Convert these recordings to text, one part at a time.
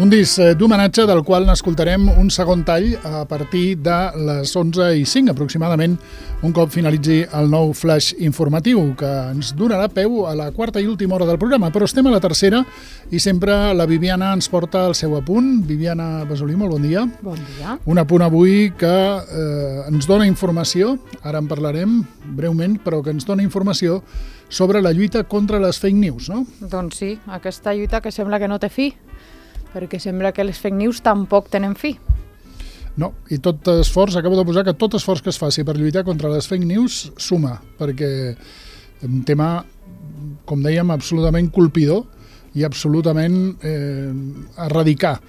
Un disc d'homenatge del qual n'escoltarem un segon tall a partir de les 11:05 aproximadament, un cop finalitzi el nou flash informatiu, que ens donarà peu a la quarta i última hora del programa, però estem a la tercera i sempre la Viviana ens porta el seu apunt. Viviana Besolí, molt bon dia. Bon dia. Un apunt avui que ens dona informació, ara en parlarem breument, però que ens dona informació sobre la lluita contra les fake news, no? Doncs sí, aquesta lluita que sembla que no té fi, perquè sembla que les fake news tampoc tenen fi. No, i tot esforç, acabo de posar que tot esforç que es faci per lluitar contra les fake news suma, perquè un tema, com dèiem, absolutament colpidor i absolutament a erradicar.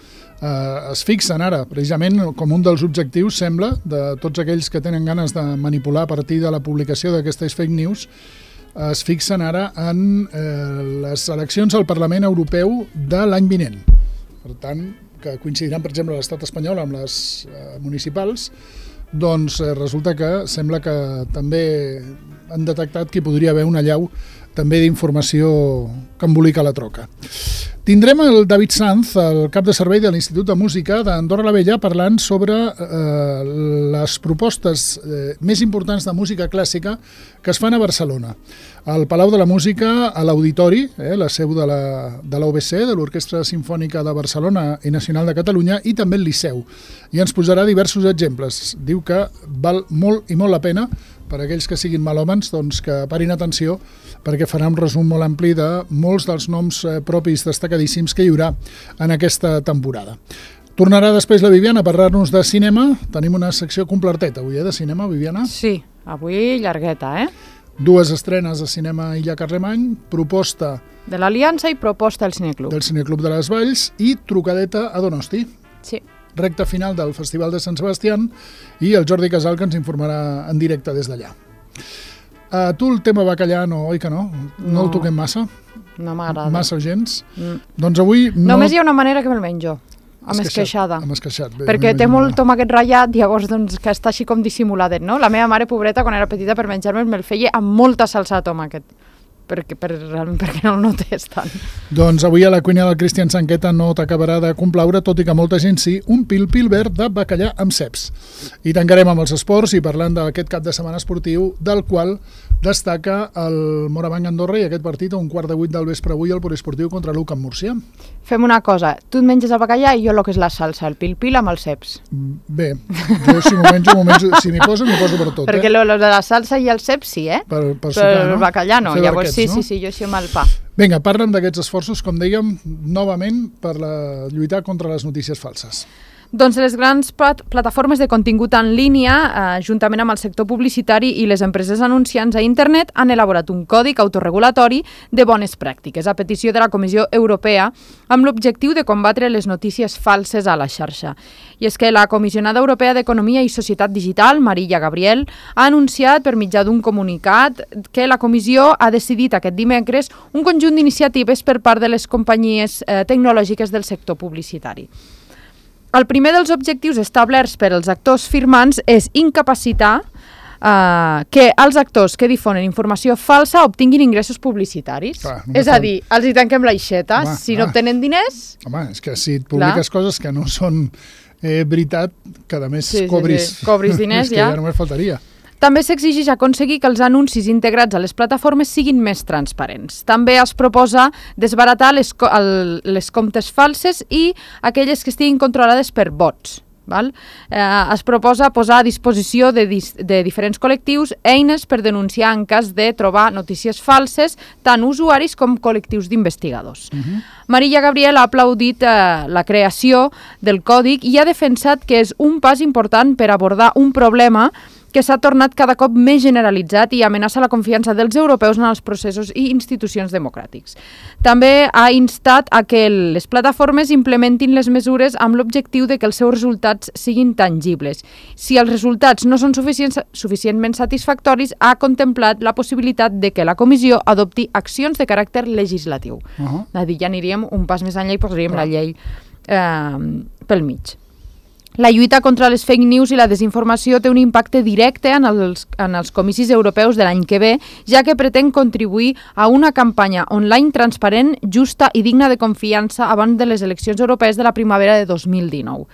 Es fixen ara, precisament, com un dels objectius, sembla, de tots aquells que tenen ganes de manipular a partir de la publicació d'aquestes fake news, es fixen ara en les eleccions al Parlament Europeu de l'any vinent. Per tant, que coincidiran, per exemple, a l'estat espanyol amb les municipals, doncs resulta que sembla que també han detectat que hi podria haver una allau també d'informació que embolica la troca. Tindrem el David Sanz, el cap de servei de l'Institut de Música d'Andorra la Vella, parlant sobre les propostes més importants de música clàssica que es fan a Barcelona. Al Palau de la Música, a l'Auditori, la seu de l'OBC, de l'Orquestra Simfònica de Barcelona i Nacional de Catalunya, i també el Liceu. I ens posarà diversos exemples. Diu que val molt i molt la pena per a aquells que siguin malhòmens, doncs que parin atenció, perquè farà un resum molt ampli de molts dels noms propis destacadíssims que hi haurà en aquesta temporada. Tornarà després la Viviana a parlar-nos de cinema. Tenim una secció completeta avui, de cinema, Viviana? Sí, avui llargueta, Dues estrenes de cinema Illa Carlemany, proposta de l'Aliança i proposta del Cineclub. Del Cineclub de les Valls i trucadeta a Donosti. Sí. Recta final del Festival de Sant Sebastián i el Jordi Casal, que ens informarà en directe des d'allà. A tu el tema bacallà no, oi que no? No el toquem massa? No m'agrada. Massa gens? Doncs avui... Només hi ha una manera que me'l menjo, amb esqueixada. Amb esqueixat. Perquè té molt tomàquet ratllat, llavors doncs, que està així com dissimuladet, no? La meva mare, pobreta, quan era petita, per menjar-me'l, me'l feia amb molta salsa de tomàquet. Realment perquè no el notés tant. Doncs avui a la cuina del Cristian Sanqueta no t'acabarà de complaure, tot i que molta gent sí, un pil-pil verd de bacallà amb ceps. I tancarem amb els esports i parlant d'aquest cap de setmana esportiu, del qual destaca el Morabanc Andorra i aquest partit a 7:15 del vespre avui al Poliesportiu contra l'UCAM Múrcia. Fem una cosa, tu et menges el bacallà i jo el que és la salsa, el pil-pil amb els ceps. Bé, jo si m'ho menjo, si m'hi poso per tot. Perquè lo de la salsa i el ceps sí, Per sucar, no? El bacallà no, llavors no? Sí, jo així amb el pa. Vinga, parlen d'aquests esforços, com dèiem, novament per lluitar contra les notícies falses. Doncs les grans plataformes de contingut en línia, juntament amb el sector publicitari i les empreses anunciants a internet, han elaborat un còdic autorregulatori de bones pràctiques a petició de la Comissió Europea amb l'objectiu de combatre les notícies falses a la xarxa. I és que la comissionada europea d'Economia i Societat Digital, Maria Gabriel, ha anunciat per mitjà d'un comunicat que la Comissió ha decidit aquest dimecres un conjunt d'iniciatives per part de les companyies tecnològiques del sector publicitari. El primer dels objectius establerts per als actors firmants és incapacitar que els actors que difonen informació falsa obtinguin ingressos publicitaris. És a dir, els hi tanquem l'aixeta. Si no obtenen diners... Home, és que si et publiques coses que no són veritat, que a més cobris diners, ja només faltaria. També s'exigeix aconseguir que els anuncis integrats a les plataformes siguin més transparents. També es proposa desbaratar les comptes falses i aquelles que estiguin controlades per bots. Es proposa posar a disposició de diferents col·lectius eines per denunciar en cas de trobar notícies falses, tant usuaris com col·lectius d'investigadors. Maria Gabriel ha aplaudit la creació del còdic i ha defensat que és un pas important per abordar un problema que s'ha tornat cada cop més generalitzat i amenaça la confiança dels europeus en els processos i institucions democràtics. També ha instat a que les plataformes implementin les mesures amb l'objectiu de que els seus resultats siguin tangibles. Si els resultats no són suficientment satisfactoris, ha contemplat la possibilitat de que la Comissió adopti accions de caràcter legislatiu. És a dir, ja aniríem un pas més enllà i posaríem la llei pel mig. La lluita contra les fake news i la desinformació té un impacte directe en els comicis europeus de l'any que ve, ja que pretén contribuir a una campanya online transparent, justa i digna de confiança abans de les eleccions europees de la primavera de 2019.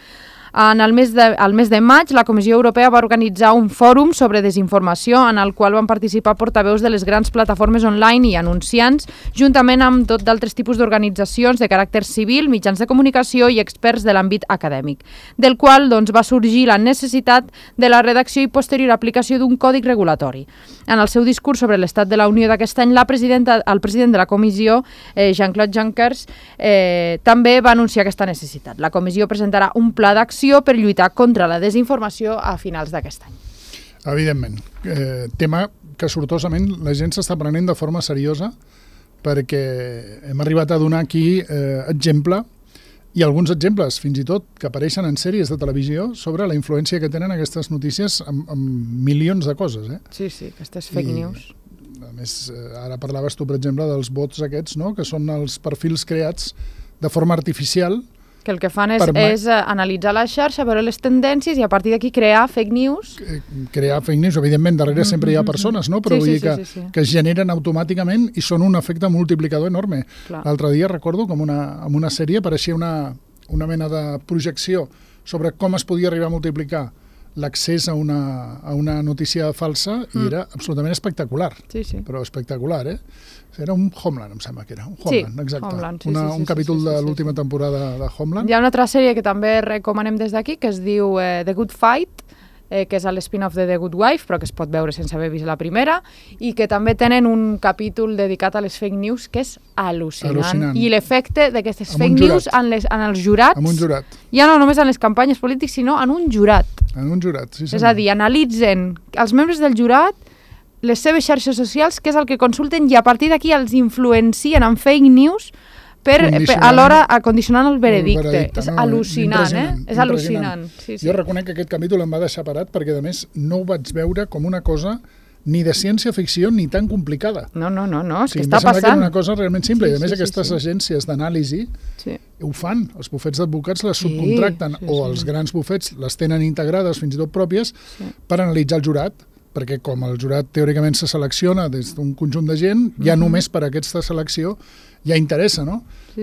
Al mes de maig, la Comissió Europea va organitzar un fòrum sobre desinformació en el qual van participar portaveus de les grans plataformes online i anunciants, juntament amb tot d'altres tipus d'organitzacions de caràcter civil, mitjans de comunicació i experts de l'àmbit acadèmic, del qual va sorgir la necessitat de la redacció i posterior aplicació d'un còdic regulatori. En el seu discurs sobre l'estat de la Unió d'aquest any, el president de la Comissió, Jean-Claude Juncker, també va anunciar aquesta necessitat. La Comissió presentarà un pla d'acció per lluitar contra la desinformació a finals d'aquest any. Evidentment. Tema que sortosament la gent s'està prenent de forma seriosa, perquè hem arribat a donar aquí exemple i alguns exemples, fins i tot, que apareixen en sèries de televisió sobre la influència que tenen aquestes notícies amb milions de coses. Sí, aquestes fake news. A més, ara parlaves tu, per exemple, dels bots aquests, no? Que són els perfils creats de forma artificial, que el que fan és analitzar la xarxa, veure les tendències i a partir d'aquí crear fake news. Crear fake news, evidentment, darrere sempre hi ha persones, no? Però vull dir que es generen automàticament i són un efecte multiplicador enorme. L'altre dia recordo com en una sèrie apareixia una mena de projecció sobre com es podia arribar a multiplicar l'accés a una notícia falsa i era absolutament espectacular. Però espectacular, Era un Homeland, em sembla que era. Un Homeland, exacte. Homeland, un capítol de l'última temporada de Homeland. Hi ha una altra sèrie que també recomanem des d'aquí, que es diu The Good Fight, que és l'spin-off de The Good Wife, però que es pot veure sense haver vist la primera, i que també tenen un capítol dedicat a les fake news que és al·lucinant. I l'efecte d'aquestes fake news en els jurats, amb un jurat. Ja no només en les campanyes polítiques, sinó en un jurat. En un jurat, sí. És a dir, analitzen els membres del jurat les seves xarxes socials, que és el que consulten, i a partir d'aquí els influencien en fake news alhora condicionant el veredicte. És al·lucinant, És al·lucinant. Jo reconec que aquest capítol em va deixar parat perquè, a més, no ho vaig veure com una cosa ni de ciència-ficció ni tan complicada. No, és que està passant. Em sembla que era una cosa realment simple, i a més aquestes agències d'anàlisi ho fan, els bufets d'advocats les subcontracten, o els grans bufets les tenen integrades, fins i tot pròpies, per analitzar el jurat, perquè com el jurat teòricament se selecciona des d'un conjunt de gent, ja només per aquesta selecció ja interessa, no?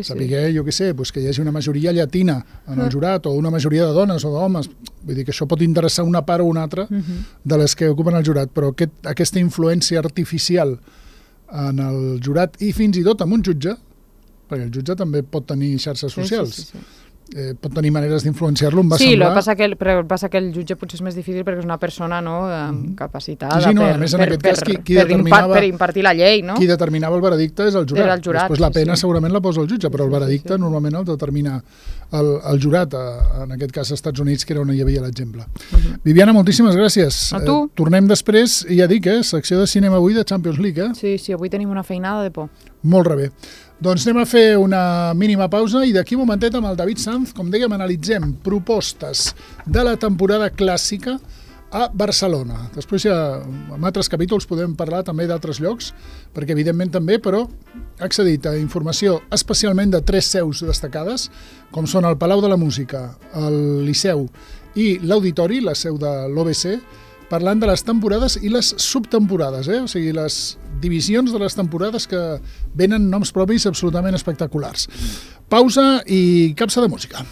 Saber, jo què sé, que hi hagi una majoria llatina en el jurat, o una majoria de dones o d'homes. Vull dir que això pot interessar una part o una altra de les que ocupen el jurat, però aquesta influència artificial en el jurat i fins i tot en un jutge, perquè el jutge també pot tenir xarxes socials, pot tenir maneres d'influenciar-lo, em va semblar... Sí, el que passa que el jutge potser és més difícil perquè és una persona capacitada per impartir la llei, no? Qui determinava el veredicte és el jurat. Després la pena segurament la posa el jutge, però el veredicte normalment el determina el jurat, en aquest cas als Estats Units, que era on hi havia l'exemple. Viviana, moltíssimes gràcies. A tu. Tornem després, i ja dic, secció de cinema avui de Champions League. Sí, avui tenim una feinada de por. Molt bé. Doncs anem a fer una mínima pausa i d'aquí un momentet amb el David Sanz, com dèiem, analitzem propostes de la temporada clàssica a Barcelona. Després ja en altres capítols podem parlar també d'altres llocs, perquè evidentment també, però ha accedit a informació especialment de 3 seus destacades, com són el Palau de la Música, el Liceu i l'Auditori, la seu de l'OBC, parlant de les temporades i les subtemporades, o sigui, les divisions de les temporades que venen noms propis absolutament espectaculars. Pausa i capsa de música.